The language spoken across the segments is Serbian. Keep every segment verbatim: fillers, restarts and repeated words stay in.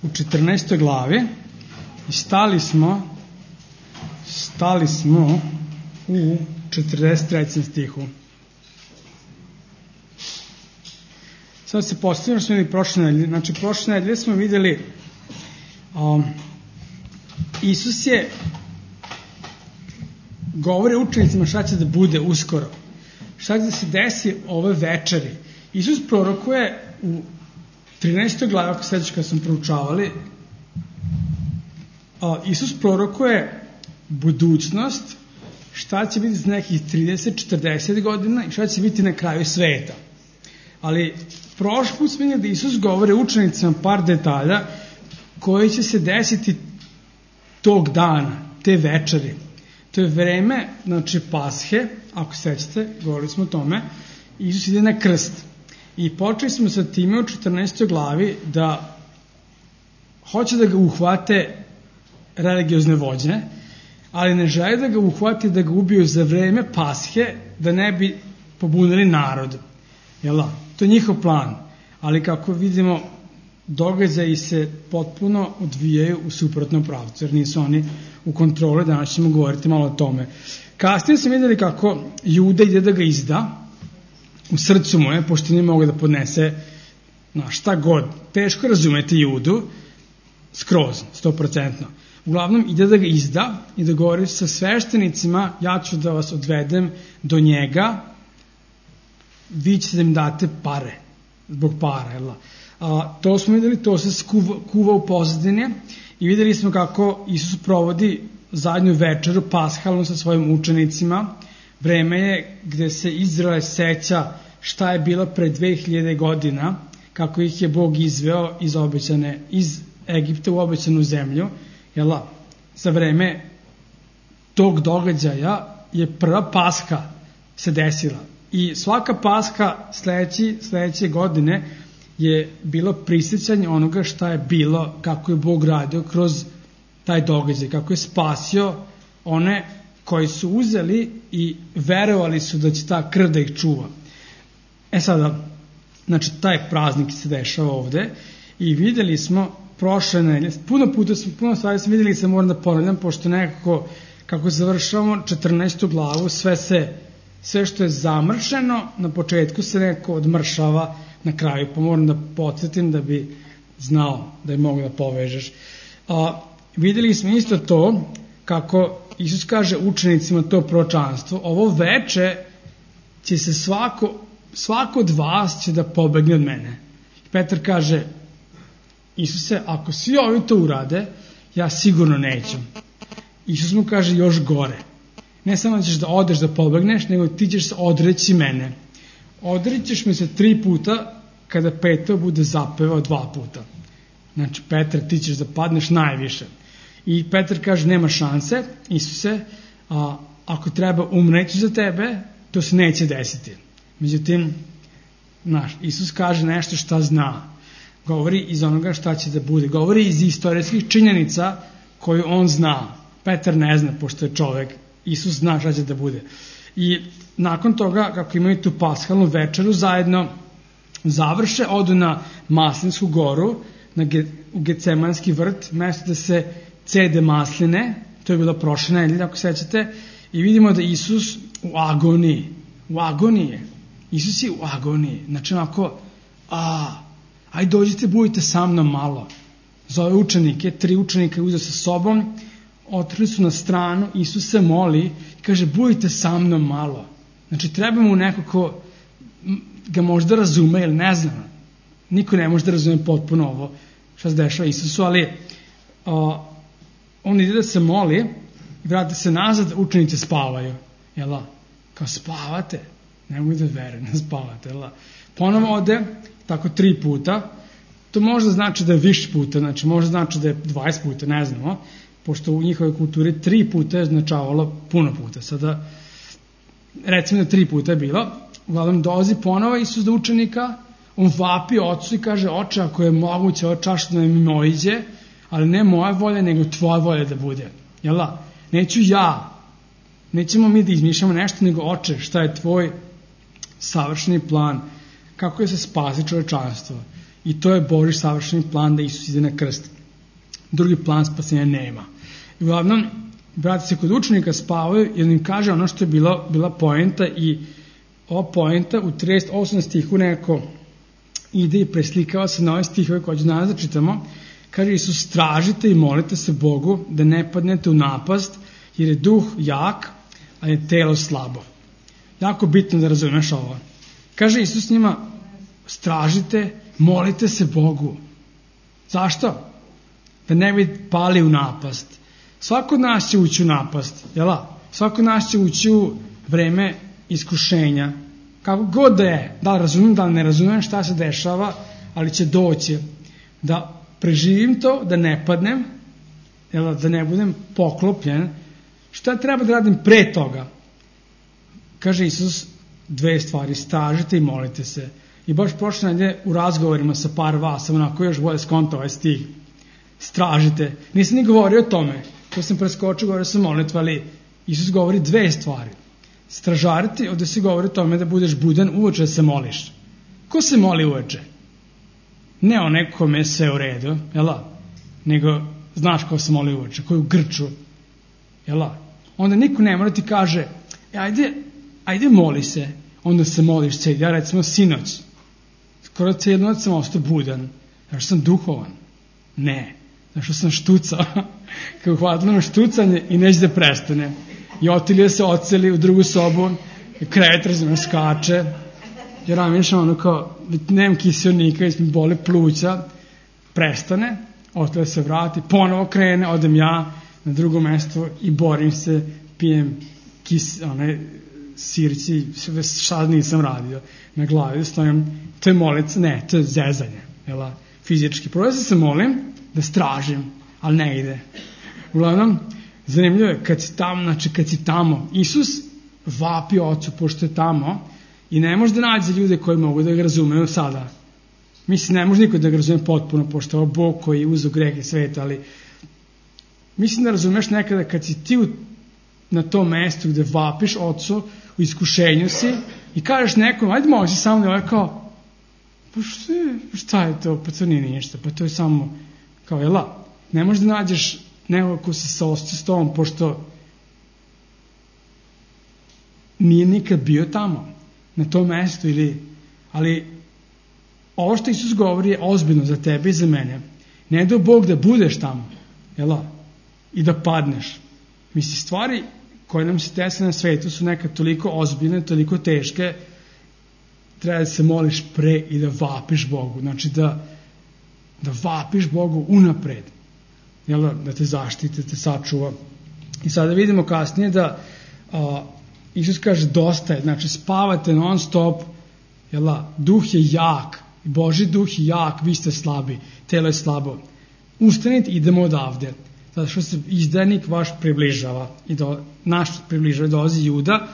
u četrnaestoj glavi i stali smo stali smo u četrdeset trećem stihu. Sad se postavljamo što smo vidjeli prošle nedelje. Znači, prošle nedelje smo vidjeli um, Isus je govori učenicima šta će da bude uskoro. Šta će da se desi ove večeri. Isus prorokuje u trinaestoj glavi, ako sećaš kad smo proučavali, a, Isus prorokuje budućnost, šta će biti za nekih trideset do četrdeset godina i šta će biti na kraju sveta. Ali prošli put smo vidjeli da Isus govori učenicima par detalja koji će se desiti tog dana, te večeri. To je vreme, znači, Pashe, ako sećate, govorili smo o tome, Isus ide na krst. I počeli smo sa time u četrnaestoj glavi da hoće da ga uhvate religiozne vođe, ali ne žele da ga uhvate, da ga ubiju za vreme Pashe, da ne bi pobunili narod. Jel da? To je njihov plan. Ali kako vidimo, događaji se potpuno odvijaju u suprotnom pravcu, jer nisu oni u kontroli. Danas ćemo govoriti malo o tome. Kasnije smo vidjeli kako Juda ide da ga izda u srcu moje, pošto nije mogu da podnese na šta god. Teško razumete Judu skroz, sto procentno. Uglavnom ide da ga izda i da govori sa sveštenicima, ja ću da vas odvedem do njega, vi ćete da im date pare, zbog para, jel da? A, to smo vidjeli, to se skuva, kuva u pozadine i vidjeli smo kako Isus provodi zadnju večeru pashalnu sa svojim učenicima. Vreme je gde se Izrael seća šta je bilo pre dve hiljade godina, kako ih je Bog izveo iz obećane, iz Egipta u obećanu zemlju. Jel da? Za vreme tog događaja je prva Pasha se desila. I svaka Pasha sledeći, sledeće godine je bilo prisjećanje onoga šta je bilo, kako je Bog radio kroz taj događaj, kako je spasio one koji su uzeli i verovali su da će ta krv da ih čuva. E sada, znači taj praznik se dešava ovde i vidjeli smo prošle nedelje, puno puta smo, puno stvari smo vidjeli i se moram da ponavljam, pošto nekako, kako završavamo četrnaestu glavu, sve se, sve što je zamršeno, na početku se nekako odmršava na kraju, pa moram da podsjetim da bi znao, da je mogu da povežeš. A, vidjeli smo isto to, kako Isus kaže učenicima to proročanstvo, ovo veče će se svako, svako od vas će da pobegne od mene. I Petar kaže, Isuse, ako svi ovi to urade, ja sigurno neću. Isus mu kaže još gore. Ne samo da ćeš da odeš da pobegneš, nego ti ćeš se odreći mene. Odrećeš me se tri puta kada Petar bude zapevao dva puta. Znači, Petar, ti ćeš da padneš najviše. I Petar kaže, nema šanse, Isuse, a, ako treba umreći za tebe, to se neće desiti. Međutim, znaš, Isus kaže nešto šta zna. Govori iz onoga šta će da bude. Govori iz istorijskih činjenica koju on zna. Petar ne zna, pošto je čovek. Isus zna šta će da bude. I nakon toga, kako imaju tu pashalnu večeru zajedno, završe, odu na Maslinsku goru, na Ge, u Gecemanski vrt, mesto da se cede masline, to je bilo prošle nedelje, ako sećate, i vidimo da Isus u agoniji, u agoniji je. Isus je u agoniji. Znači, onako, a, aj dođite, budite sa mnom malo. Zove učenike, tri učenika je uzeo sa sobom, otrli su na stranu, Isus se moli i kaže, budite sa mnom malo. Znači, treba mu neko ko ga možda razume ili ne znam. Niko ne može da razume potpuno ovo što se dešava Isusu, ali a, on ide da se moli i vrati se nazad, učenici spavaju. Jel' kao spavate? Ne mogu da verujem, ne spavate. Jel' ponovo ode, tako tri puta. To možda znači da je više puta, znači možda znači da je dvadeset puta, ne znamo, pošto u njihovoj kulturi tri puta je značavalo puno puta. Sada, recimo da tri puta je bilo, uglavnom dolazi ponovo Isus do učenika, on vapi ocu i kaže, oče, ako je moguće, ovo čaša da mi oiđe, ali ne moja volja, nego tvoja volja da bude. Jel da? Neću ja, nećemo mi da izmišljamo nešto, nego oče, šta je tvoj savršeni plan, kako je se spasi čovečanstvo. I to je Božji savršeni plan da Isus ide na krst. Drugi plan spasenja nema. I uglavnom, brati se kod učenika spavaju i on im kaže ono što je bila, bila poenta i ova poenta u trideset osmom stihu neko ide i preslikava se na ove stihove koje ću danas da čitamo. Kaže Isus, tražite i molite se Bogu da ne padnete u napast, jer je duh jak, a je telo slabo. Jako bitno da razumeš ovo. Kaže Isus njima, stražite, molite se Bogu. Zašto? Da ne bi pali u napast. Svako od nas će ući u napast, jela? Svako od nas će ući u vreme iskušenja. Kako god da je, da razumijem, da ne razumijem šta se dešava, ali će doći da preživim to, da ne padnem, jela, da ne budem poklopljen. Šta treba da radim pre toga? Kaže Isus dve stvari, stražite i molite se. I baš prošle nedelje u razgovorima sa par vas, sam onako još bolje skontao ovaj stih. Stražite. Nisam ni govorio o tome. To sam preskočio, govorio sam molitva, ali Isus govori dve stvari. Stražariti, ovdje se govori o tome da budeš budan uveče da se moliš. Ko se moli uveče? Ne o nekome je sve u redu, jela? Nego, znaš ko se moli uveče, ko je u grču, jela? Onda niko ne mora ti kaže, e, ajde, ajde moli se, onda se moliš cijeli. Ja recimo sinoć, skoro cijeli noć sam ostao budan, zato što sam duhovan. Ne, zato što sam štucao, kao uhvatilo me štucanje i neće da prestane. I Otilija se oceli u drugu sobu, krevet razumno skače, jer ramišljam ono kao, nemam kiselnika, mi boli pluća, prestane, Otilija se vrati, ponovo krene, odem ja na drugo mesto i borim se, pijem kis, one, sirci, šta nisam radio na glavi, stojim, to je molica, ne, to je zezanje, jela, fizički. Prvo se molim da stražim, ali ne ide. Uglavnom, zanimljivo je, kad si tamo, znači kad si tamo, Isus vapi Ocu pošto je tamo i ne može da nađe ljude koji mogu da ga razumeju sada. Mislim, ne može niko da ga razume potpuno, pošto je ovo Bog koji je uzeo grehe sveta, ali mislim da razumeš nekada kad si ti u, na tom mestu gde vapiš Ocu, u iskušenju si i kažeš nekom, ajde može samo da je kao, pa šta je, šta je to, pa to nije ništa, pa to je samo, kao je la, ne možeš da nađeš nekog ko se saosti s tobom, pošto nije nikad bio tamo, na tom mestu, ili, ali ovo što Isus govori je ozbiljno za tebe i za mene. Ne do Bog da budeš tamo, jela, i da padneš. Misli, stvari koje nam se dese na svetu su nekad toliko ozbiljne, toliko teške, treba da se moliš pre i da vapiš Bogu. Znači da, da vapiš Bogu unapred. Jel, da te zaštite, da te sačuva. I sada vidimo kasnije da a, Isus kaže dosta je, znači spavate non stop, jel, duh je jak, Božji duh je jak, vi ste slabi, telo je slabo. Ustanite, idemo odavde. Zato što se izdajnik vaš približava, i do, naš približava, dolazi Juda,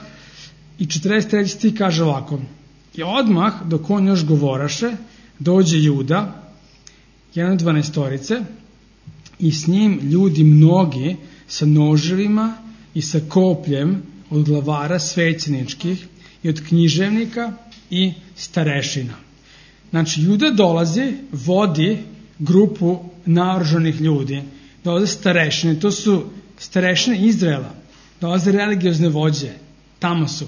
i četrdeset treći stih kaže ovako, i odmah, dok on još govoraše, dođe Juda, jedan od dvanaestorice, i s njim ljudi mnogi sa noževima i sa kopljem od glavara svećeničkih i od književnika i starešina. Znači, Juda dolazi, vodi grupu naoružanih ljudi, dolaze starešine, to su starešine Izraela, dolaze religiozne vođe, tamo su.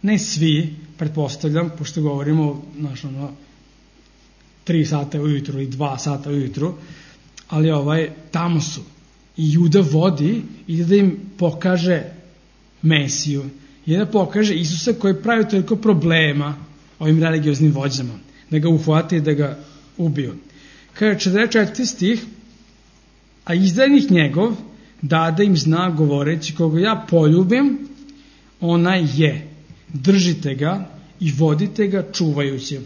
Ne svi, pretpostavljam, pošto govorimo znaš, ono, tri sata ujutru i dva sata ujutru, ali ovaj, tamo su. I Juda vodi i da im pokaže Mesiju, i da pokaže Isusa koji pravi toliko problema ovim religioznim vođama, da ga uhvate i da ga ubiju. Kaže četrdeset četvrti stih, a izdajnik njegov dade im znak govoreći, koga ja poljubim, onaj je, držite ga i vodite ga čuvajući.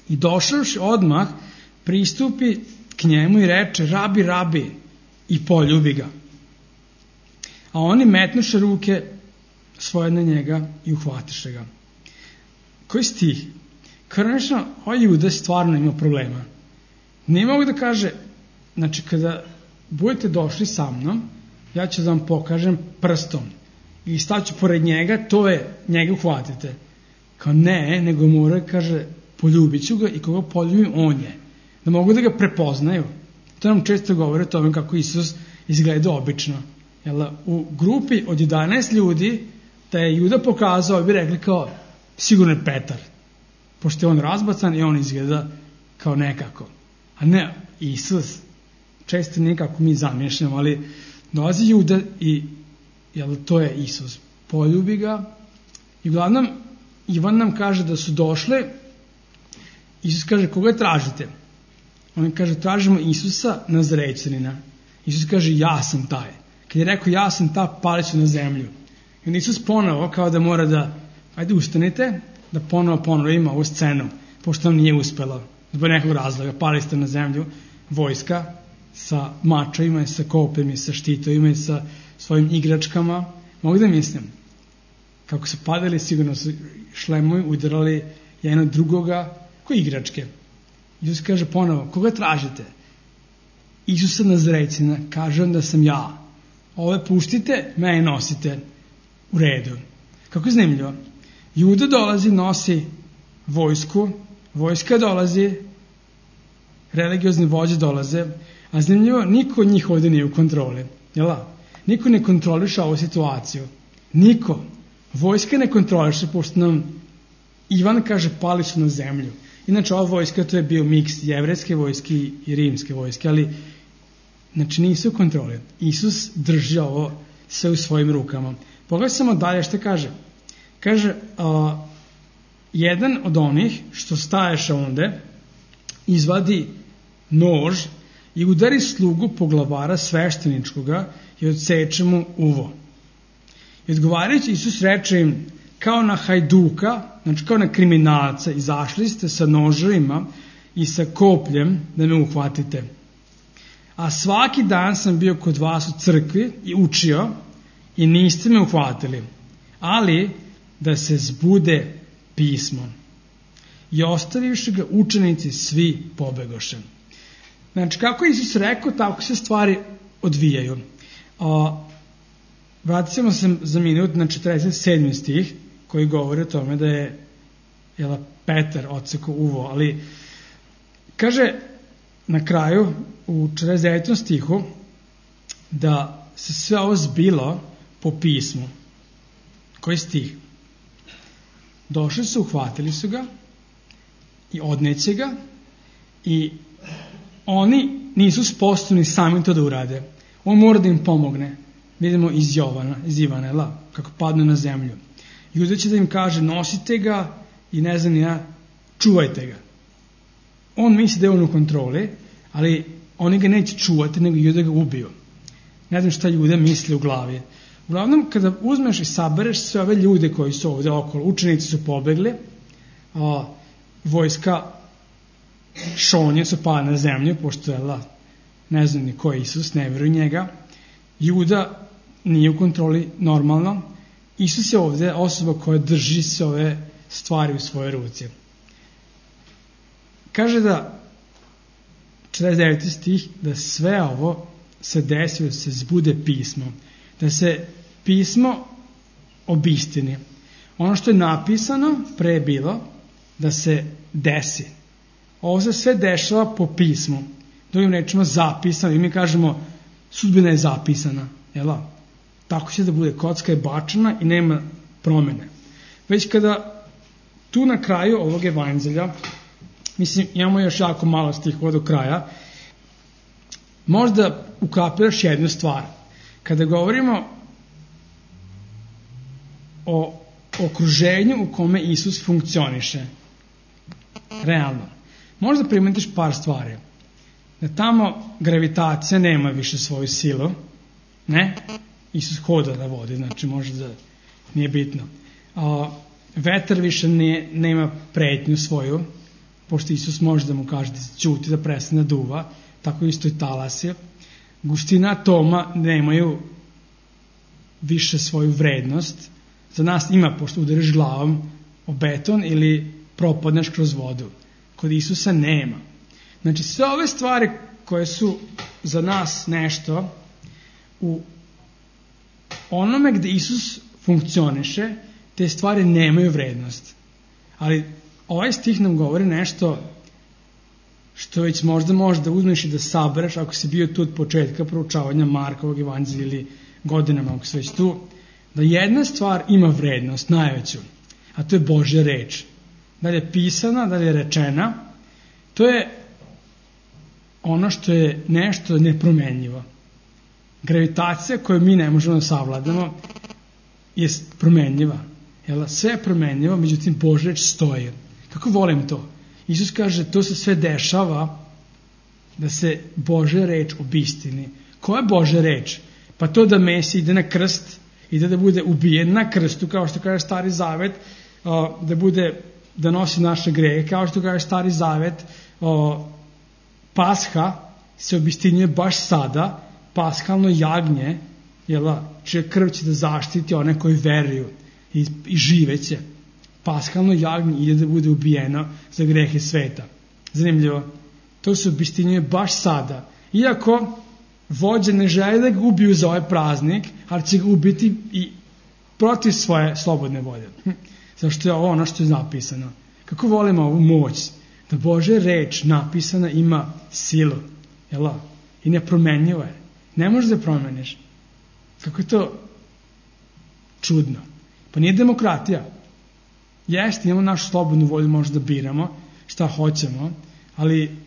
I došavši odmah, pristupi k njemu i reče, rabi, rabi, i poljubi ga. A oni metnuše ruke svoje na njega i uhvatiše ga. Koji stih? Kronično, ovaj Juda stvarno ima problema. Nije mogu da kaže, znači kada budete došli sa mnom, ja ću da vam pokažem prstom i staću pored njega, to je, njega uhvatite. Kao ne, nego mora, kaže, poljubit ću ga i koga poljubim on je. Da mogu da ga prepoznaju. To nam često govori o tome kako Isus izgleda obično. Jel, u grupi od jedanaest ljudi da je Juda pokazao, bi rekli kao sigurno je Petar. Pošto je on razbacan i on izgleda kao nekako. A ne Isus. Često nekako mi zamišljamo, ali dolazi Juda i jel, to je Isus. Poljubi ga i uglavnom Ivan nam kaže da su došle. Isus kaže koga tražite? On kaže tražimo Isusa Nazarećanina. Isus kaže ja sam taj. Kad je rekao ja sam ta, pali su na zemlju. I on Isus ponovo kao da mora da ajde ustanite da ponovo ponovimo ovu scenu pošto nam nije uspelo zbog nekog razloga. Pali ste na zemlju vojska sa mačevima i sa kopljima i sa štitovima i sa svojim igračkama. Mogu da mislim kako su padali sigurno su šlemovi udarali jedno drugoga koji igračke. Isus kaže ponovo koga tražite? Isusa Nazarećanina. Kaže on da sam ja. Ove puštite, mene nosite u redu. Kako je zanimljivo. Juda dolazi, nosi vojsku, vojska dolazi, religiozni vođe dolaze, a zanimljivo, niko od njih ovdje nije u kontroli. Jela? Niko ne kontroliše ovu situaciju. Niko. Vojska ne kontroliše, pošto nam Ivan kaže pali su na zemlju. Inače, ova vojska to je bio miks jevrejske vojske i rimske vojske, ali znači nisu u kontroli. Isus drži ovo sve u svojim rukama. Pogledaj samo dalje što kaže. Kaže, a, jedan od onih što staješe onde izvadi nož i udari slugu poglavara svešteničkoga i odseče mu uvo. I odgovarajući Isus reče im, kao na hajduka, znači kao na kriminalca, izašli ste sa noževima i sa kopljem da me uhvatite. A svaki dan sam bio kod vas u crkvi i učio i niste me uhvatili, ali da se zbude pismo. I ostavivši ga učenici svi pobegoše. Znači, kako je Isus rekao, tako se stvari odvijaju. A, vratit se za minut na četrdeset sedmi stih, koji govori o tome da je jela, Petar odsekao uvo, ali kaže na kraju u četrdeset devetom stihu da se sve ovo zbilo po pismu. Koji stih? Došli su, uhvatili su ga i odneće ga i oni nisu sposobni sami to da urade. On mora da im pomogne. Vidimo iz Jovana, iz Ivana, la, kako padne na zemlju. Juda će da im kaže nosite ga i ne znam ja, čuvajte ga. On misli da je on u kontroli, ali oni ga neće čuvati, nego Juda ga ubiju. Ne znam šta Juda misli u glavi. Uglavnom, kada uzmeš i sabereš sve ove ljude koji su ovdje okolo, učenici su pobegli, a, vojska šonje su pali na zemlju, pošto je la, ne znam ni ko je Isus, ne vjeruju njega. Juda nije u kontroli normalno. Isus je ovdje osoba koja drži se ove stvari u svoje ruci. Kaže da četrdeset deveti stih da sve ovo se desi, da se zbude pismo. Da se pismo obistini. Ono što je napisano pre je bilo da se desi. Ovo se sve dešava po pismu. Drugim rečima zapisano. I mi kažemo sudbina je zapisana. Jela? Tako će da bude. Kocka je bačena i nema promene. Već kada tu na kraju ovog evanđelja, mislim imamo još jako malo stihova do kraja, možda ukapiraš jednu stvar. Kada govorimo o okruženju u kome Isus funkcioniše, realno, možda primetiš par stvari. Da tamo gravitacija nema više svoju silu, ne? Isus hoda na vodi, znači možda nije bitno. A, vetar više ne, nema pretnju svoju, pošto Isus može da mu kaže da se ćuti, da prestane da duva, tako isto i talasi. Gustina atoma nemaju više svoju vrednost. Za nas ima, pošto udariš glavom o beton ili propadneš kroz vodu. Kod Isusa nema. Znači sve ove stvari koje su za nas nešto, u onome gde Isus funkcioniše, te stvari nemaju vrednost. Ali ovaj stih nam govori nešto što već možda možda uzmeš i da sabereš ako si bio tu od početka proučavanja Markovog evanđelja ili godinama ako si već tu, da jedna stvar ima vrednost, najveću, a to je Božja reč. Da li je pisana, da li je rečena, to je ono što je nešto nepromenljivo. Gravitacija koju mi ne možemo da savladamo je promenljiva. Jel? Sve je promenljivo, međutim Božja reč stoji. Kako volim to? Isus kaže, to se sve dešava da se Božja reč obistini. Koja je Božja reč? Pa to da Mesija ide na krst, ide da bude ubijen na krstu, kao što kaže Stari Zavet, da bude, da nosi naše grehe, kao što kaže Stari Zavet, Pasha se obistinjuje baš sada, paskalno jagnje, jela, čija krv će da zaštiti one koji veruju i, i živeće. Paskalno jagnje ide da bude ubijeno za grehe sveta. Zanimljivo, to se obistinjuje baš sada. Iako vođe ne žele da ga ubiju za ovaj praznik, ali će ga ubiti i protiv svoje slobodne volje. Zašto je ovo ono što je napisano. Kako volimo ovu moć, da Božja reč napisana ima silu, jela, i nepromenljiva je. Ne možeš da promeniš. Kako je to čudno. Pa nije demokratija. Jeste, imamo našu slobodnu volju, možda da biramo šta hoćemo, ali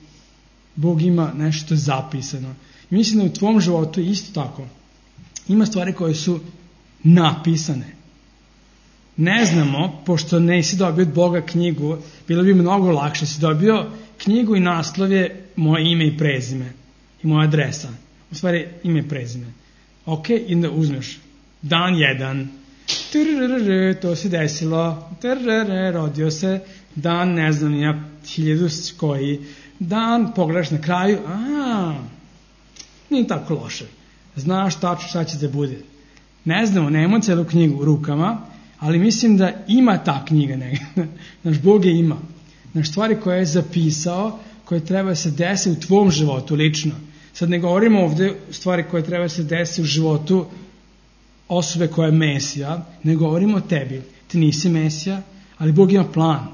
Bog ima nešto što je zapisano. I mislim da u tvom životu je isto tako. Ima stvari koje su napisane. Ne znamo, pošto nisi dobio od Boga knjigu, bilo bi mnogo lakše. Si dobio knjigu i naslov je moje ime i prezime i moja adresa. U stvari ime i prezime. Ok, i onda uzmeš dan jedan, trrrr, to se desilo, trrrr, rodio se, dan ne znam ja, hiljadu koji, dan pogledaš na kraju, a nije tako loše. Znaš tačno šta će da bude. Ne znamo, nemamo celu knjigu u rukama, ali mislim da ima ta knjiga negdje. Naš Bog je ima. Naš stvari koje je zapisao, koje treba se desi u tvom životu lično. Sad ne govorimo ovdje stvari koje treba se desi u životu osobe koja je Mesija, ne govorimo o tebi. Ti nisi Mesija, ali Bog ima plan.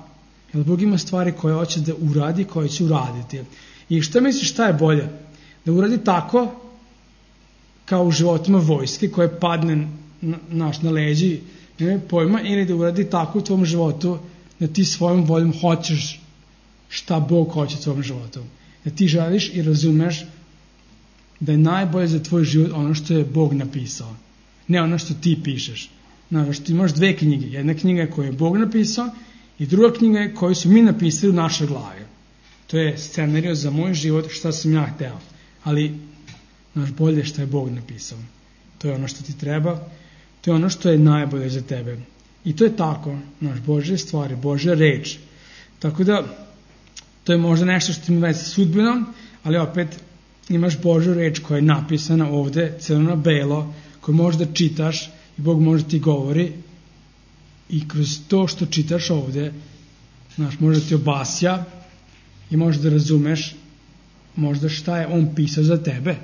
Jer Bog ima stvari koje hoće da uradi, koje će uraditi. I šta misliš šta je bolje? Da uradi tako kao u životima vojske koje padne na, naš na leđi, ne pojma, ili da uradi tako u tvom životu da ti svojom voljom hoćeš šta Bog hoće u tvom životu. Da ti želiš i razumeš da je najbolje za tvoj život ono što je Bog napisao. Ne ono što ti pišeš. Znaš, ti imaš dve knjige. Jedna knjiga je koju je Bog napisao i druga knjiga je koju su mi napisali u našoj glavi. To je scenario za moj život šta sam ja hteo. Ali, znaš, bolje što je Bog napisao. To je ono što ti treba. To je ono što je najbolje za tebe. I to je tako. Znaš, Božje stvari, Božja reč. Tako da, to je možda nešto što ima veze sa sudbinom, ali opet imaš Božju reč koja je napisana ovde, crno na belo, koju možeš da čitaš i Bog može ti govori i kroz to što čitaš ovde, znaš, može da ti obasja i možeš da razumeš možda šta je on pisao za tebe.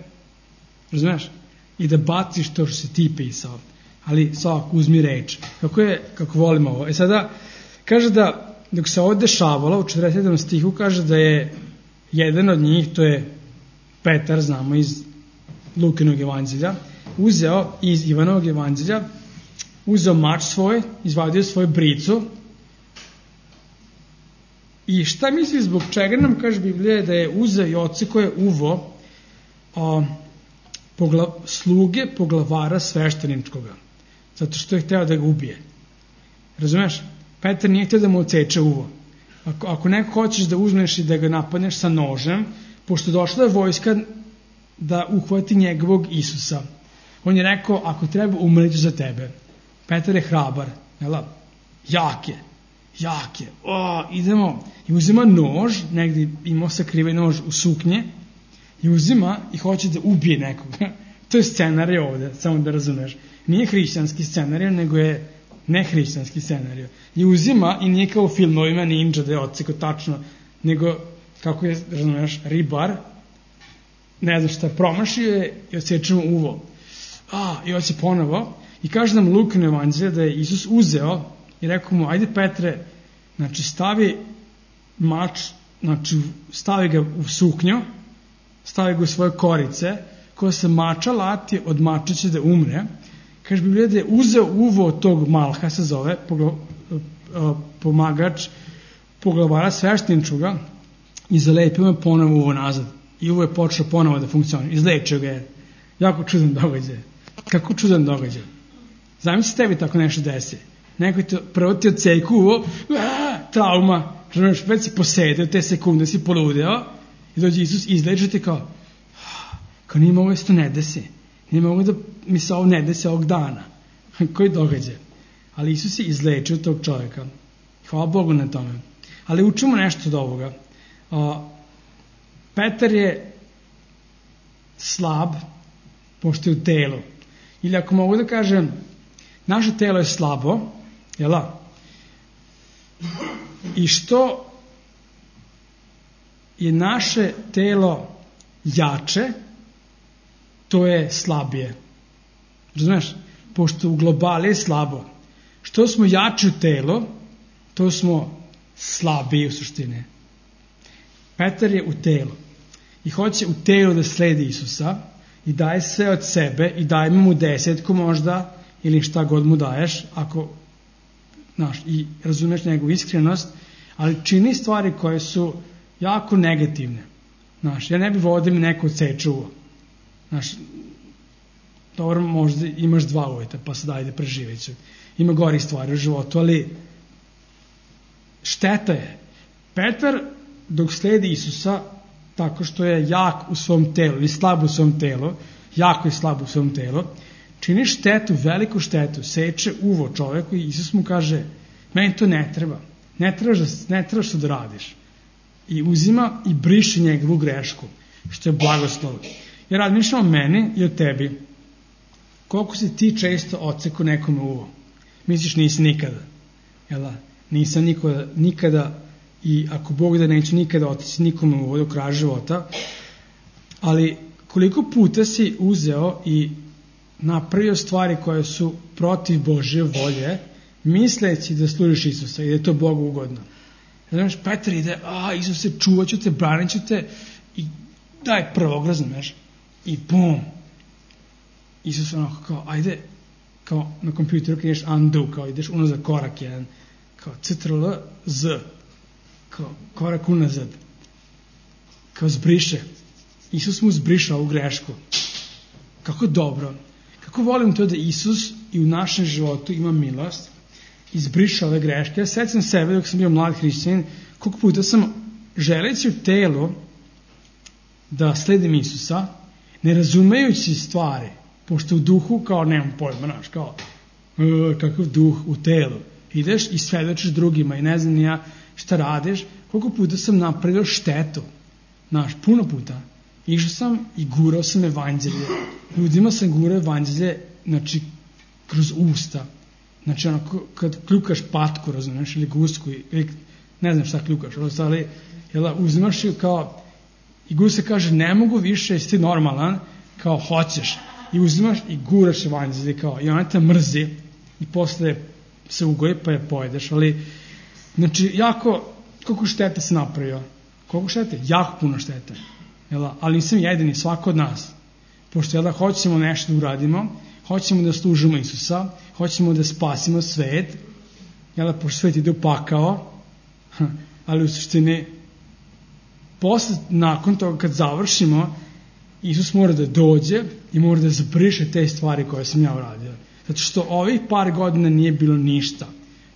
Razumeš? I da baciš to što si ti pisao. Ali svak, uzmi reč. Kako je, kako volimo ovo. E sada, kaže da dok se ovo dešavalo, u četrdeset sedmom stihu kaže da je jedan od njih, to je Petar, znamo iz Lukinog evanđelja, uzeo iz Ivanovog evanđelja, uzeo mač svoj, izvadio svoju bricu i šta misli zbog čega nam kaže Biblija da je uzeo i odsekao je uvo a, pogla, sluge poglavara svešteničkoga, zato što je hteo da ga ubije. Razumeš? Petar nije htio da mu odseče uvo. Ako, ako neko hoćeš da uzmeš i da ga napadneš sa nožem, pošto došla je vojska da uhvati njegovog Isusa, on je rekao, ako treba, umreću za tebe. Petar je hrabar, jel? Jak je, jak je. O, idemo. I uzima nož, negdje imao sakriven nož u suknje, i uzima i hoće da ubije nekoga. To je scenarij ovde, samo da razumeš. Nije hrišćanski scenarij, nego je nehrišćanski scenarij. I uzima i nije kao u filmovima ninja da je odseko tačno, nego, kako je, razumeš, ribar, ne znam šta je, promašio je i odsečemo uvo. A, i hoće ponovo. I kaže nam Lukin evanđelje da je Isus uzeo i rekao mu, ajde Petre, Znači, stavi mač, znači, stavi ga u suknju, stavi ga u svoje korice, koja se mača lati, od mača će da umre. Kaže Biblija da je uzeo uvo tog Malha, se zove, pogla, pomagač poglavara svešteničuga, i zalepio me ponovo uvo nazad. I uvo je počeo ponovo da funkcioniše. Izlečio ga je. Jako čudan događaj. Kako čudan događaj. Zamisli tebi tako nešto desi. Neko ti prvo ti odsejku uvo, aaa, trauma, razumiješ, već si posedeo, te sekunde si poludeo, i dođe Isus i izleče ti kao, kao nije mogo da se to ne desi. Nije mogo da mi se ovo ne desi ovog dana. Koji događaj. Ali Isus je izlečio tog čovjeka. Hvala Bogu na tome. Ali učimo nešto od ovoga. O, Petar je slab, pošto je u telu. Ili ako mogu da kažem, naše telo je slabo, jela? I što je naše telo jače, to je slabije. Razumeš? Pošto u globali je slabo. Što smo jači u telo, to smo slabiji u suštini. Petar je u telu i hoće u telu da sledi Isusa i daje sve od sebe i daje mu desetku možda ili šta god mu daješ, ako, znaš, i razumeš njegovu iskrenost, ali čini stvari koje su jako negativne. Znaš, ja ne bih vodio mi neko odseče uvo. Znaš, dobro, možda imaš dva uvjeta, pa sad ajde preživeću. Ima gori stvari u životu, ali šteta je. Petar, dok sledi Isusa, tako što je jak u svom telu, ili slab u svom telu, jako je slab u svom telu, čini štetu, veliku štetu, seče uvo čoveku i Isus mu kaže, meni to ne treba, ne trebaš da, ne trebaš da radiš. I uzima i briše njegovu grešku, što je blagoslov. Ja razmišljam o meni i o tebi. Koliko si ti često odsekao nekome uvo? Misliš nisi nikada? Jel? Nisam nikada, nikada i ako Bog da neću nikada otići nikome uvo do kraja života, ali koliko puta si uzeo i napravio stvari koje su protiv Božje volje, misleći da služiš Isusa i da je to Bogu ugodno. Znaš, Petar ide, a Isuse, čuvat ću te, branit ću te i daj prvog, razumeš? I bum! Isus onako kao, ajde, kao na kompjuteru kad ideš undo, kao ideš unazad korak jedan, kao ctrl z, kao korak unazad, kao zbriše. Isus mu zbriša ovu grešku. Kako dobro. Kako volim to da Isus i u našem životu ima milost, izbriša ove greške. Ja sećam sebe dok sam bio mlad hrišćanin, koliko puta sam želeći u telu da sledim Isusa, ne razumejući stvari, pošto u duhu kao nemam pojma, znaš, kao uh, kakav duh u telu. Ideš i svedočiš drugima i ne znam ni ja šta radiš, koliko puta sam napravio štetu. Znaš, puno puta. Išao sam i gurao sam evanđelje. Ljudima sam gurao evanđelje, znači, kroz usta. Znači, ono, kad kljukaš patku, razumiješ, ili gusku, ili ne znam šta kljukaš, ali jel, uzimaš ju kao, i guska kaže, ne mogu više, jesi ti normalan, kao hoćeš. I uzimaš i guraš evanđelje, kao, i ona te mrzi, i posle se ugoji, pa je pojedeš, ali, znači, jako, koliko štete se napravio? Koliko štete? Jako puno štete. Jel, ali nisam jedini, svako od nas. Pošto jel, hoćemo nešto da uradimo, hoćemo da služimo Isusa, hoćemo da spasimo svet, jel, pošto svet ide u pakao, ali u suštini, posle, nakon toga kad završimo, Isus mora da dođe i mora da zabriše te stvari koje sam ja uradio. Zato što ovih par godina nije bilo ništa.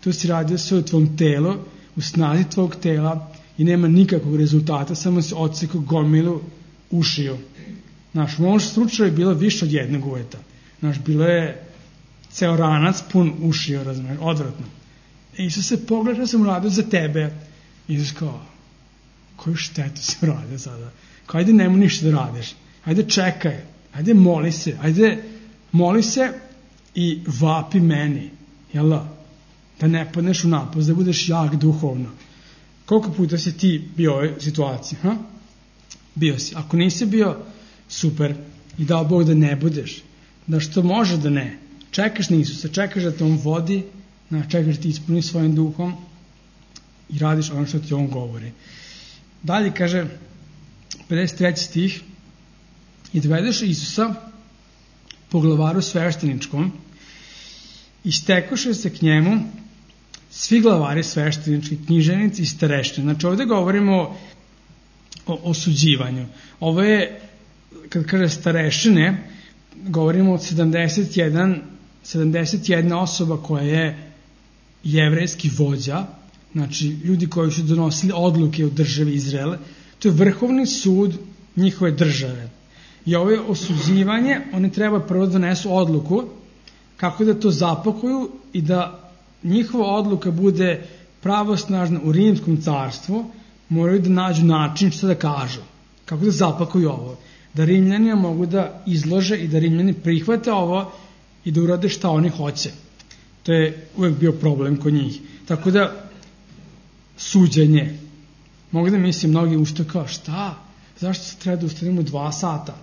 Tu si radio sve u tvom telu, u snazi tvog tela i nema nikakvog rezultata, samo si odsekao gomilu ušiju. Znaš, u mom slučaju je bilo više od jednog uveta. Znaš, bilo je ceo ranac pun ušiju, razumiješ, odvratno. E, Isus se pogleda što sam uradio za tebe. Isus kao, koju štetu si uradio sada? Kao, ajde nemu ništa da radiš. Ajde čekaj, ajde moli se, ajde moli se i vapi meni, jel da? Da ne padneš u napast, da budeš jak duhovno. Koliko puta si ti bio u ovoj situaciji? Ha? Bio si. Ako nisi bio, super. I dao Bog da ne budeš. Da što može da ne. Čekaš na Isusa, čekaš da te on vodi, čekaš da ti ispuni svojim duhom i radiš ono što ti on govori. Dalje kaže, pedeset treći stih, i dovedeš Isusa po glavaru svešteničkom i stekoše se k njemu svi glavari sveštenički, književnici i starešine. Znači ovdje govorimo o, o osuđivanju. Ovo je, kad kaže starešine, govorimo o sedamdeset jedan, sedamdeset jedna osoba koja je jevrejski vođa, znači ljudi koji su donosili odluke u državi Izraele. To je vrhovni sud njihove države. I ovo je osuđivanje, oni treba prvo donesu odluku kako da to zapakuju i da njihova odluka bude pravosnažna u rimskom carstvu, moraju da nađu način što da kažu, kako da zapakuju ovo, da Rimljani mogu da izlože i da Rimljani prihvate ovo i da urade šta oni hoće. To je uvek bio problem kod njih. Tako da, suđenje. Mogu da mislim, mnogi ušte kao, šta? Zašto se treba da ustanemo dva sata?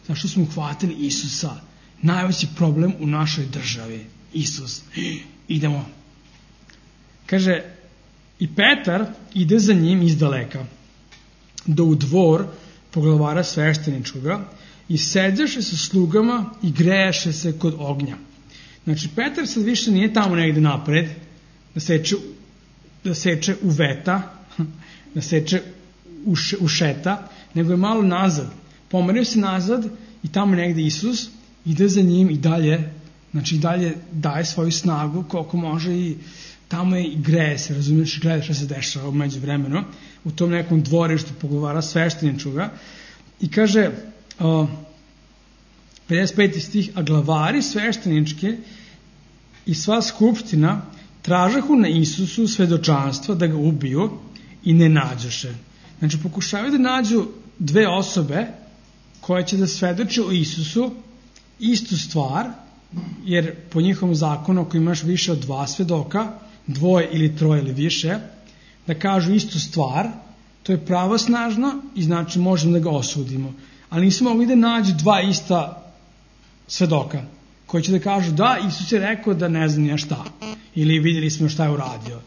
Zašto smo uhvatili Isusa? Najveći problem u našoj državi. Isus. Idemo. Kaže, i Petar ide za njim izdaleka, do u dvor poglavara svešteničkoga i seđaše sa slugama i grejaše se kod ognja. Znači, Petar sad više nije tamo negde napred, da seče, da seče u veta, da seče u, š, u šeta, nego je malo nazad. Pomerio se nazad i tamo negde Isus ide za njim i dalje, znači i dalje daje svoju snagu koliko može i tamo je i greje se, razumiješ, gleda što se dešava umeđu vremenu, u tom nekom dvorištu poglavara svešteničkoga i kaže, uh, pedeset peti stih, a glavari svešteničke i sva skupština tražahu na Isusu svedočanstva da ga ubiju i ne nađoše. Znači, pokušavaju da nađu dve osobe koje će da svedoče o Isusu istu stvar, jer po njihovom zakonu, ako imaš više od dva svedoka, dvoje ili troje ili više, da kažu istu stvar, to je pravosnažno i znači možemo da ga osudimo. Ali nisu mogli da nađu dva ista svedoka, koji će da kažu da, Isus je rekao da ne znam ja šta, ili vidjeli smo šta je uradio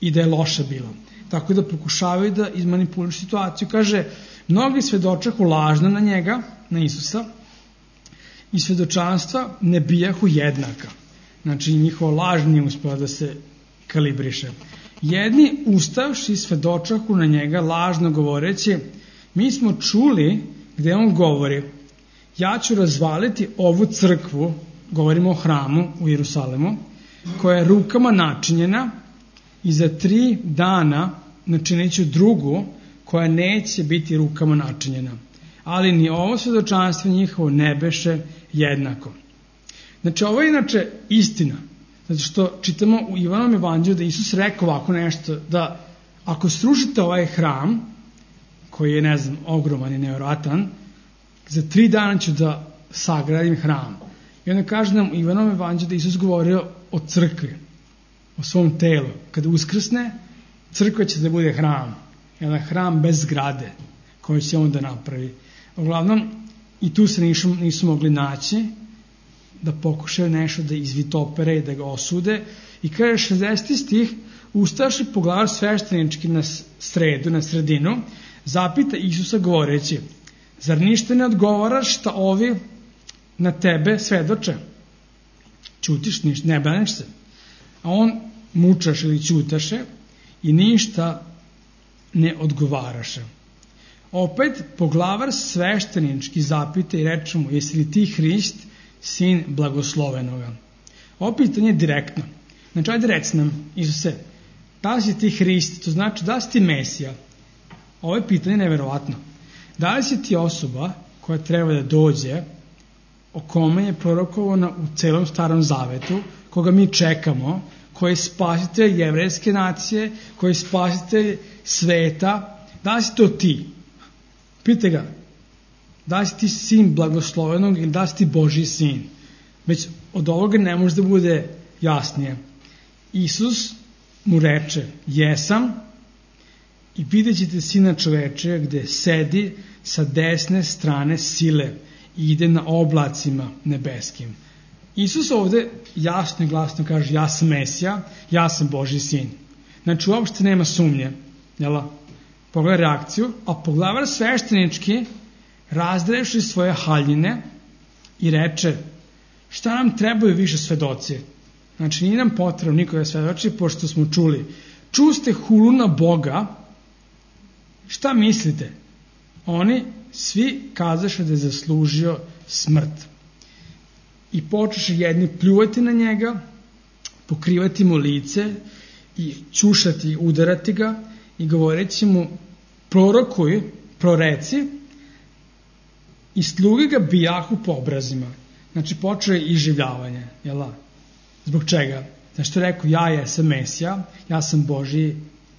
i da je loše bilo. Tako da pokušavaju da izmanipulišu situaciju. Kaže, mnogi svedočahu lažno na njega, na Isusa, i svedočanstva ne bijahu jednaka. Znači, njihova laž nije uspela da se kalibriše. Jedni ustavši svedočahu na njega lažno govoreći, mi smo čuli gde on govori, ja ću razvaliti ovu crkvu, govorimo o hramu u Jerusalemu, koja je rukama načinjena i za tri dana načinit ću drugu koja neće biti rukama načinjena. Ali ni ovo svedočanstvo njihovo ne beše jednako. Znači, ovo je inače istina. Zato što čitamo u Ivanovom evanđelju da Isus rekao ovako nešto, da ako srušite ovaj hram, koji je, ne znam, ogroman i nevjerojatan, za tri dana ću da sagradim hram. I onda kaže nam u Ivanovom evanđelju da Isus govorio o crkvi, o svom telu. Kada uskrsne, crkva će da bude hram. Jedan hram bez zgrade, koji će on da napravi. Uglavnom, i tu se nisu, nisu mogli naći, da pokušaju nešto da izvitopere i da ga osude. I kaže šezdeseti stih, ustaši poglavar sveštenički na sredu, na sredinu, zapita Isusa govoreći, zar ništa ne odgovaraš šta ovi na tebe svedoče? Ćutiš, ništa, ne braniš se. A on mučaš ili ćutaše i ništa ne odgovaraše. Opet poglavar sveštenički zapita i reče mu, jesi li ti Hrist, sin blagoslovenoga? Ovo pitanje je direktno. Znači, ajde reci nam, Isuse, da li si ti Hrist, to znači da li si ti Mesija? Ovo je pitanje neverovatno. Da li si ti osoba koja treba da dođe, o kome je prorokovano u celom Starom Zavetu, koga mi čekamo, koji je spasitelj jevrejske nacije, koji je spasitelj sveta, da li si to ti? Pite ga, da li si ti sin blagoslovenog ili da li si ti Božji sin? Već od ovoga ne može da bude jasnije. Isus mu reče, jesam, i vidjet ćete Sina čoveče gde sedi sa desne strane sile i ide na oblacima nebeskim. Isus ovde jasno i glasno kaže, ja sam Mesija, ja sam Božji sin. Znači, uopšte nema sumnje. Jel? Pogledaj reakciju. A poglavar sveštenički razdreši svoje haljine i reče, šta nam trebaju više svedoci? Znači, nije nam potrebno nikoga svedoči, pošto smo čuli. Čuste hulu na Boga, šta mislite? Oni svi kazaše da je zaslužio smrt. I počeše jedni pljuvati na njega, pokrivati mu lice i ćušati, udarati ga i govoreći mu, prorokuj, proreci, i sluge ga bijahu po obrazima. Znači, počeo je iživljavanje. Jel? Zbog čega? Znači, što je rekao, ja jesam Mesija, ja sam Božji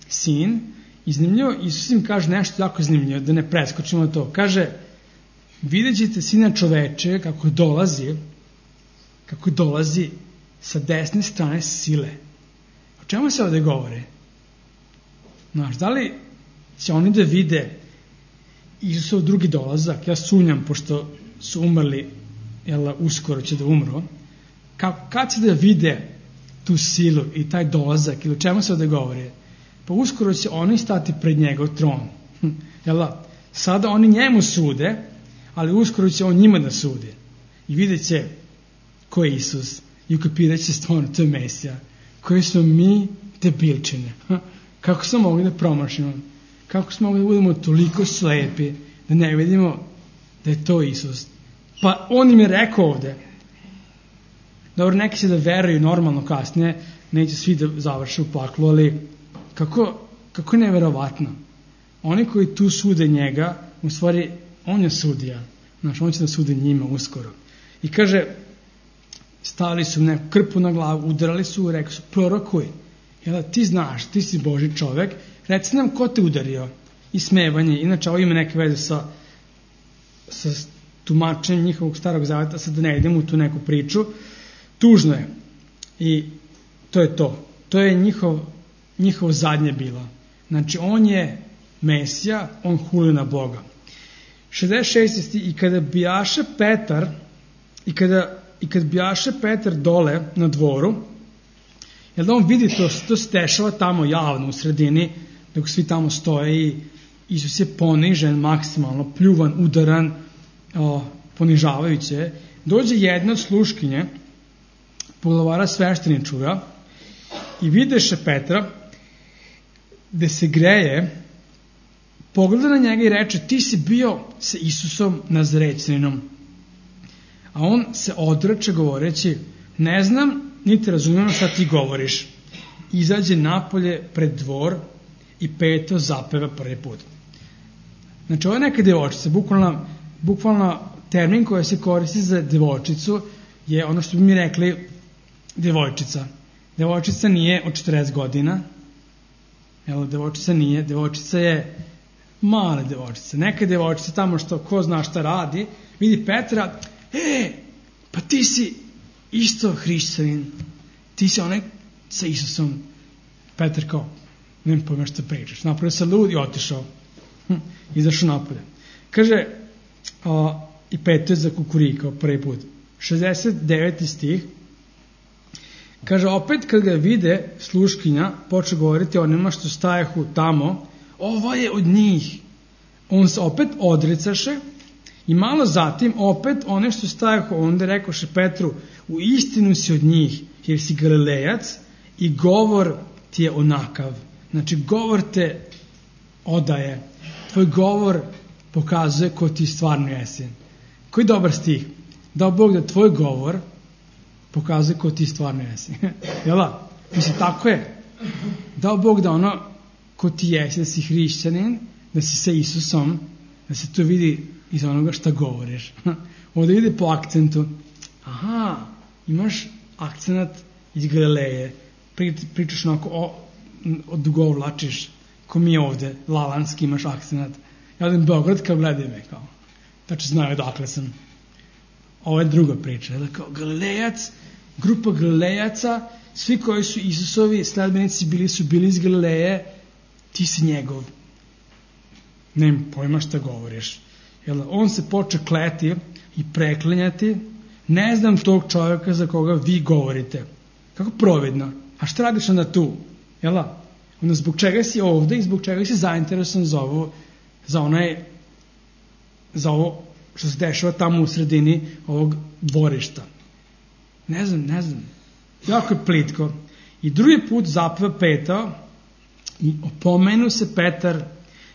sin. I zanimljivo, Isus im kaže nešto jako zanimljivo, da ne preskočimo to. Kaže, vidjet ćete Sina čoveče kako dolazi, kako dolazi sa desne strane sile. O čemu se ovde govore? Znaš, da li će oni da vide Isusov drugi dolazak? Ja sumnjam, pošto su umrli, jel, uskoro će da umru. Ka, kad će da vide tu silu i taj dolazak, ili o čemu se ovde govore? Pa uskoro će oni stati pred njegov tron. Jel, sada oni njemu sude, ali uskoro će on njima da sude. I vidjet će ko je Isus. I ukapirat će stvarno, to je Mesija. Koji smo mi debilčine. Kako smo mogli da promašimo? Kako smo mogli da budemo toliko slepi da ne vidimo da je to Isus? Pa on im je rekao ovde. Dobro, neki će da veruju normalno kasnije, neće svi da završe u paklu, ali kako, kako je neverovatno. Oni koji tu sude njega, u stvari, on je sudija. Znaš, on će da sude njima uskoro. I kaže, stavili su neku krpu na glavu, udarali su, rekli su, prorokuj. Jel, ti znaš, ti si Božji čovek, reci nam ko te udario. I smevanje. Inače, ovo ima neke veze sa, sa tumačenjem njihovog starog zaveta, sad da ne idemo u tu neku priču. Tužno je. I to je to. To je njihov, njihov zadnje bilo. Znači, on je Mesija, on huli na Boga. šezdeset šesti. I kada bijaše Petar, i kada, i kad bijaše Petar dole na dvoru, jel da on vidi to, to se dešava tamo javno u sredini, dok svi tamo stoje i Isus je ponižen, maksimalno, pljuvan, udaran, o, ponižavajuće. Dođe jedna od sluškinje, poglavara svešteničuga, i videše Petra, gde se greje, pogleda na njega i reče, ti si bio sa Isusom Nazarećaninom. A on se odreče govoreći, ne znam, niti razumijem šta ti govoriš. Izađe napolje pred dvor i peto zapeva prvi put. Znači, ovo je neka devojčica, bukvalno, bukvalno termin koji se koristi za devojčicu je ono što bi mi rekli devojčica. Devojčica nije od četrdeset godina, jel, devojčica nije, devojčica je mala devojčica. Neka devojčica tamo što ko zna šta radi, vidi Petra, e, pa ti si isto hrišćanin, ti si onaj sa Isusom. Petar kao, nema pojma što pričaš. Napravio se lud i otišao. Hm, izašao napolje. Kaže, a, i peto je za kukurikao prvi put. šezdeset deveti stih. Kaže, opet kad ga vide, sluškinja poče govoriti onima što stajahu tamo, ovo je od njih. On se opet odrecaše i malo zatim opet one što stajahu, onda rekoše Petru, u istinu si od njih, jer si Galilejac i govor ti je onakav. Znači, govor te odaje. Tvoj govor pokazuje ko ti stvarno jesi. Koji dobar stih. Dao Bog da tvoj govor pokazuje ko ti stvarno jesi. Jela? Mislim, tako je. Dao Bog da ono ko ti jesi, da si hrišćanin, da si sa Isusom, da se to vidi iz onoga šta govoriš. Ovdje vidi po akcentu. Aha, imaš akcenat iz Galileje. Pričaš onako, o, odugovlačiš, ko mi ovde, lalanski imaš akcenat. Ja odem Beograd, kao gledaj me, kao. Tačno znaju odakle sam. Ovo je druga priča. Jel, kao Galilejac, grupa Galilejaca, svi koji su Isusovi sledbenici bili su bili iz Galileje, ti si njegov. Nemam pojma šta govoriš. Jel, on se poče kleti i preklinjati, ne znam tog čovjeka za koga vi govorite. Kako providno. A šta radiš onda tu? Jel? Ono, zbog čega si ovde i zbog čega si zainteresovan za ovo, za onaj, za ovo što se dešava tamo u sredini ovog dvorišta. Ne znam, ne znam. Jako je plitko. I drugi put zapeva Petao i opomenu se Petar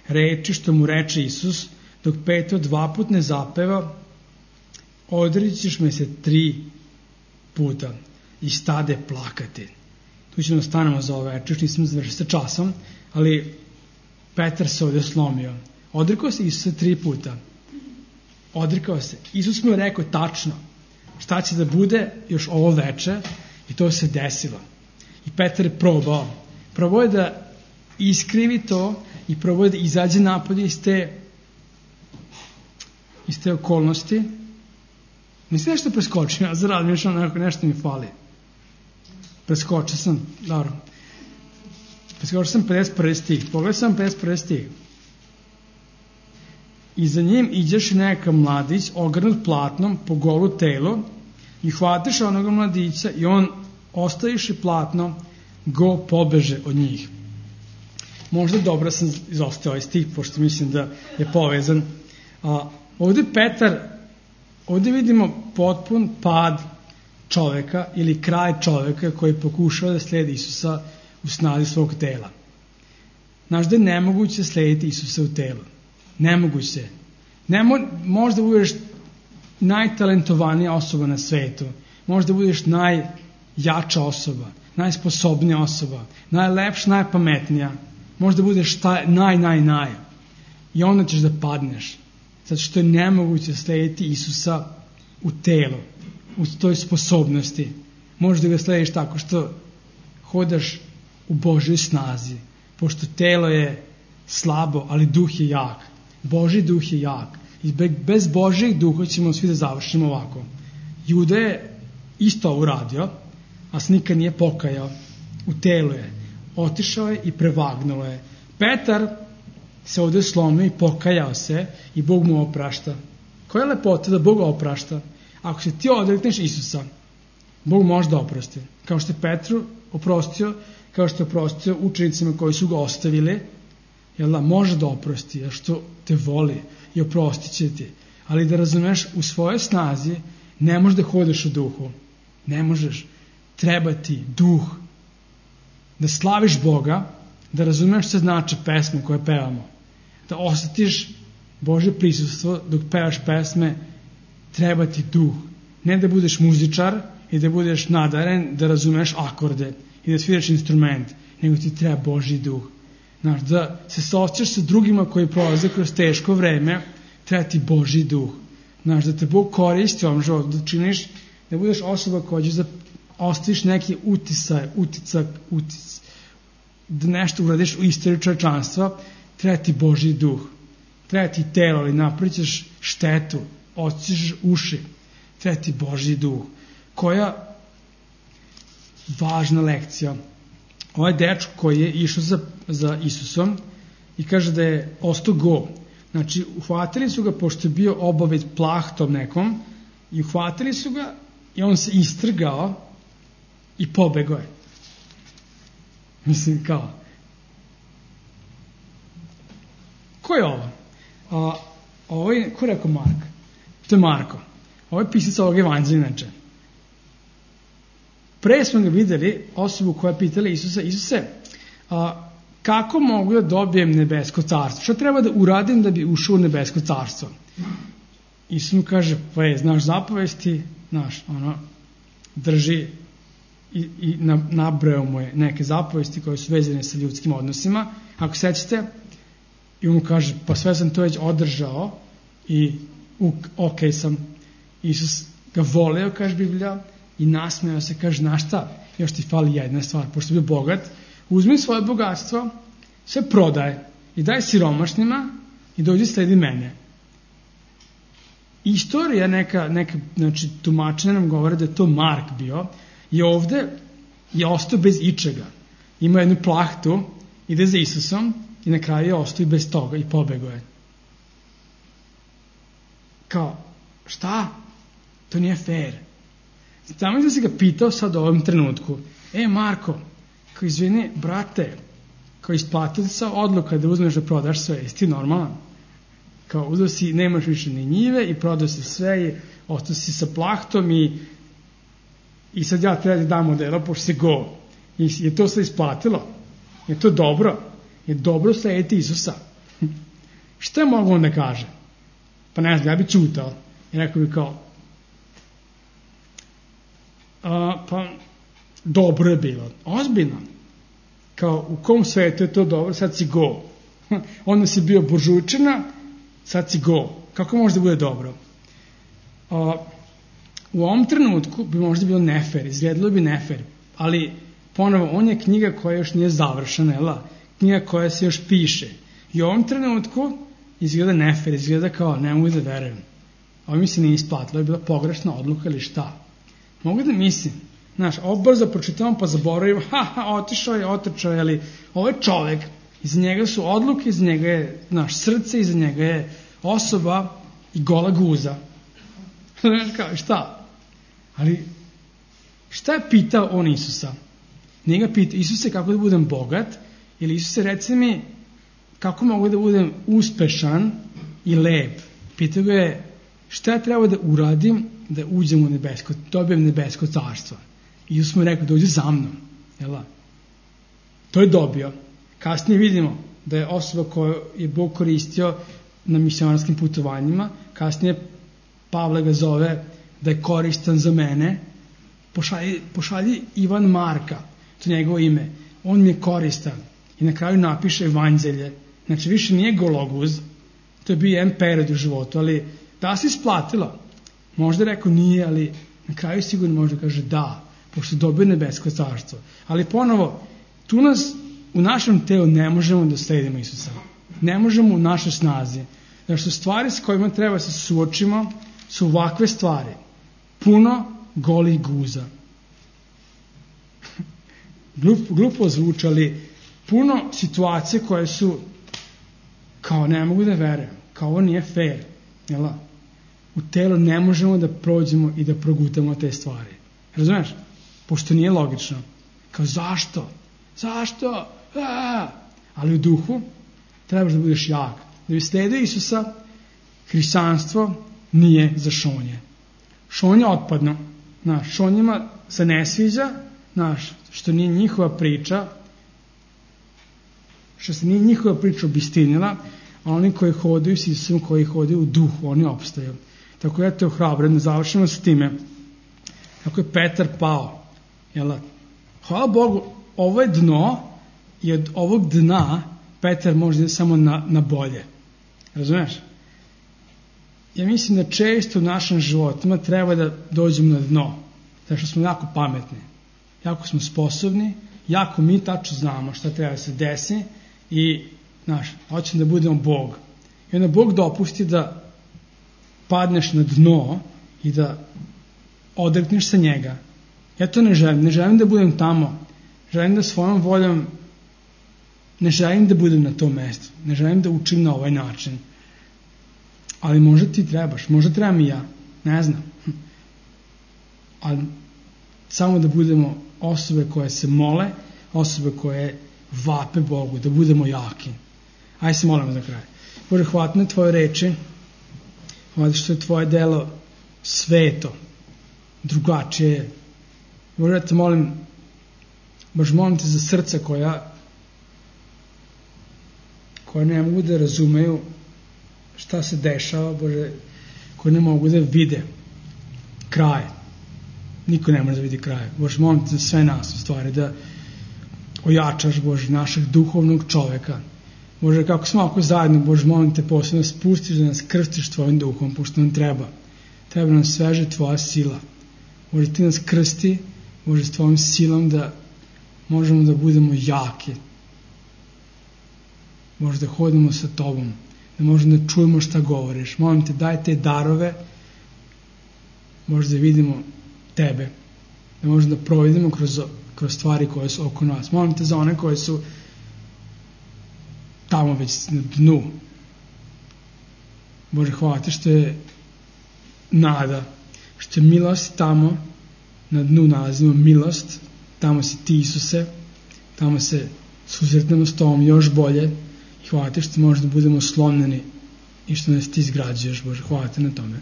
reči što mu reče Isus, dok Petao dva put ne zapeva, odrećiš me se tri puta i stade plakati. Tu ćemo stanemo za ovo večer, nisam završio sa časom, ali Petar se ovdje slomio. Odrekao se Isusa tri puta. Odrekao se. Isus mu je rekao tačno šta će da bude još ovo veče i to se desilo. I Petar je probao. Probao je da iskrivi to i probao je da izađe napad iz te iz te okolnosti. Mislim nešto preskočio, ja zarad mišljam nekako nešto mi fali. Preskočio sam, dobro. Preskočio sam pedeset prvi stih. Pogledaj sam pedeset prvi stih. I za njim iđeš neka mladić ogrnut platnom po golu telo i hvatiš onoga mladića i on ostaviši platno go pobeže od njih. Možda dobro sam izostao ovaj stih, pošto mislim da je povezan. A, ovdje Petar, ovdje vidimo potpun pad čoveka ili kraj čoveka koji pokušava da slijedi Isusa u snazi svog tela. Znaš da je nemoguće slijediti Isusa u telu. Nemoguće. Ne mo, možda budeš najtalentovanija osoba na svetu. Možda budeš najjača osoba, najsposobnija osoba, najlepša, najpametnija. Možda budeš taj, naj, naj, naj. I onda ćeš da padneš. Zato što je nemoguće slijediti Isusa u telu, u toj sposobnosti. Možda ga slijediš tako što hodaš u Božoj snazi. Pošto telo je slabo, ali duh je jak. Božji duh je jak. I bez Božjeg duha ćemo svi da završimo ovako. Juda je isto ovo uradio, a se nikad nije pokajao. U telu je. Otišao je i prevagnulo je. Petar se ovdje slomio i pokajao se i Bog mu oprašta. Koja je lepota da Bog oprašta? Ako se ti odrekneš Isusa, Bog može da oprosti. Kao što je Petru oprostio, kao što je oprostio učenicima koji su ga ostavili, jel da, može da oprosti, jer što te voli i oprostit će ti. Ali da razumeš, u svojoj snazi ne možeš da hodeš u duhu. Ne možeš. Treba ti duh. Da slaviš Boga, da razumeš što znači pesme koje pevamo. Da osjetiš Božje prisustvo dok pevaš pesme, treba ti duh. Ne da budeš muzičar i da budeš nadaren, da razumeš akorde i da sviraš instrument, nego ti treba Božji duh. Znaš, da se saosjećaš sa drugima koji prolaze kroz teško vreme, treba ti Božji duh. Znaš, da te Bog koristi u ovom životu, da činiš, da budeš osoba koja će da ostaviš neki utisaj, uticak, utic, da nešto uradiš u istoriju čovječanstva, treba ti Božji duh. Treba ti telo, ali napravit ćeš štetu, odsjećaš uši. Treba ti Božji duh. Koja važna lekcija. Ovaj dečko koji je išao za, za Isusom i kaže da je ostao go. Znači, uhvatili su ga, pošto je bio obavit plahtom nekom, i uhvatili su ga i on se istrgao i pobegao je. Mislim, kao. Ko je ovo? A, ovo je, ko je rekao Mark? To je Marko. Ovo je pisac ovog evanđelja, inače. Pre smo ga videli osobu koja je pitala Isusa, Isuse, a, kako mogu da dobijem nebesko carstvo? Šta treba da uradim da bi ušao u nebesko carstvo? Isus mu kaže, pa je, znaš zapovesti, znaš, ono, drži i, i nabrao mu je neke zapovesti koje su vezane sa ljudskim odnosima. Ako sećate, i on mu kaže, pa sve sam to već održao i ok sam. Isus ga voleo, kaže Biblija, i nasmejao se, kaže, znaš šta, još ti fali jedna stvar, pošto je bio bogat, uzmi svoje bogatstvo, sve prodaj i daj siromašnima i dođi sledi mene. Istorija neka, neka znači, tumačenja nam govore da je to Mark bio i ovde je ostao bez ičega. Ima jednu plahtu, ide za Isusom i na kraju je ostao i bez toga i pobegao je. Kao, šta? To nije fair. Tamo da si ga pitao sad u ovom trenutku, e Marko, kao izvini, brate, kao isplatilaca odluka da uzmeš da prodaš sve, jesi ti normalan? Kao uzeo si, nemaš više ni njive i prodao si sve i ostao si sa plahtom i i sad ja treba da dam modela pošto se go. I je to sve isplatilo? Je to dobro? Je dobro slediti Isusa? Šta je mogu on da kaže? Pa ne znam, ja bi čutao i rekao bi kao a, pa dobro je bilo, ozbiljno, kao u kom svetu je to dobro, sad si go. Onda si bio buržujčina, sad si go. Kako može da bude dobro? A, u ovom trenutku bi možda bilo nefer, izgledalo bi nefer, ali ponovo, on je knjiga koja još nije završena, jela? Knjiga koja se još piše. I u ovom trenutku izgleda nefer, izgleda kao ne mogu da verujem. Ovo mi se nije isplatilo, je bila pogrešna odluka ili šta. Mogu da mislim, znaš, ovo brzo pročitavam pa zaboravim, ha, ha, otišao je, otrčao je, ali ovo je čovek, iza njega su odluke, iza njega je naš srce, iza njega je osoba i gola guza. Znaš kao, šta? Ali šta je pitao on Isusa? Nije ga pitao, Isuse, kako da budem bogat? Ili Isuse, reci mi, kako mogu da budem uspešan i lep? Pitao ga je, šta ja treba da uradim da uđem u nebesko, dobijem nebesko carstvo? I Isus mu je rekao, dođi za mnom. Jela? To je dobio. Kasnije vidimo da je osoba koju je Bog koristio na misionarskim putovanjima, kasnije Pavle ga zove da je koristan za mene, pošalji, pošalji Ivan Marka, to je njegovo ime, on mi je koristan. I na kraju napiše evanđelje. Znači više nije gologuz, to je bio jedan period u životu, ali da se isplatilo. Možda rekao nije, ali na kraju sigurno može kaže da, pošto dobio nebesko carstvo. Ali ponovo, tu nas u našem telu ne možemo da sledimo Isusa. Ne možemo u našoj snazi. Znači su stvari s kojima treba se suočimo su ovakve stvari. Puno golih guza. Glup, glupo zvuči, ali puno situacije koje su kao ne mogu da verujem, kao ovo nije fair. Jela? U telu ne možemo da prođemo i da progutamo te stvari. Razumeš? Pošto nije logično. Kao zašto? Zašto? A! Ali u duhu trebaš da budeš jak. Da bi sledio Isusa, hrišćanstvo nije za šonje. Šonje otpadno. Znaš, šonjima se ne sviđa, znaš, što nije njihova priča, što se nije njihova priča obistinila, a oni koji hodaju s Isusom, koji hodaju u duhu, oni opstaju. Tako ja te ohrabrujem, da završimo s time. Tako je Petar pao. Jel? Hvala Bogu, ovo je dno i od ovog dna Petar može samo na, na bolje. Razumeš? Ja mislim da često u našem životima treba da dođemo na dno. Zato što smo jako pametni. Jako smo sposobni. Jako mi tačno znamo šta treba da se desi. I, znaš, hoćemo da budemo Bog. I onda Bog dopusti da padneš na dno i da odrekneš se njega. Ja to ne želim. Ne želim da budem tamo. Želim da svojom voljom ne želim da budem na tom mestu. Ne želim da učim na ovaj način. Ali možda ti trebaš. Možda trebam i ja. Ne znam. Ali samo da budemo osobe koje se mole, osobe koje vape Bogu, da budemo jaki. Ajde se molimo za kraj. Bože, hvala na tvoje reči. Hvala što je tvoje delo sveto, drugačije. Bože, ja te molim, Bože, molim te za srca koja koja ne mogu da razumeju šta se dešava, Bože, koji ne mogu da vide kraj. Niko ne može da vidi kraj. Bože, molim te za sve nas u stvari da ojačaš, Bože, našeg duhovnog čoveka. Bože, kako smo ovako zajedno, Bože, molim te posebno spustiš da nas krstiš tvojim duhom, pošto nam treba. Treba nam sveže tvoja sila. Bože, ti nas krsti, Bože, s tvojom silom da možemo da budemo jaki. Bože, da hodimo sa tobom, da možemo da čujemo šta govoriš. Molim te, daj te darove, Bože, da vidimo tebe, da možemo da providimo kroz, kroz stvari koje su oko nas. Molim te za one koje su tamo već na dnu. Bože, hvala te što je nada, što je milost tamo, na dnu nalazimo milost, tamo si ti, Isuse, tamo se susretnemo s tom još bolje i hvala ti što možda budemo slomljeni i što nas ti izgrađuješ, Bože. Hvala ti na tome.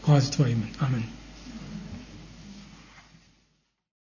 Hvala ti tvoje ime. Amen.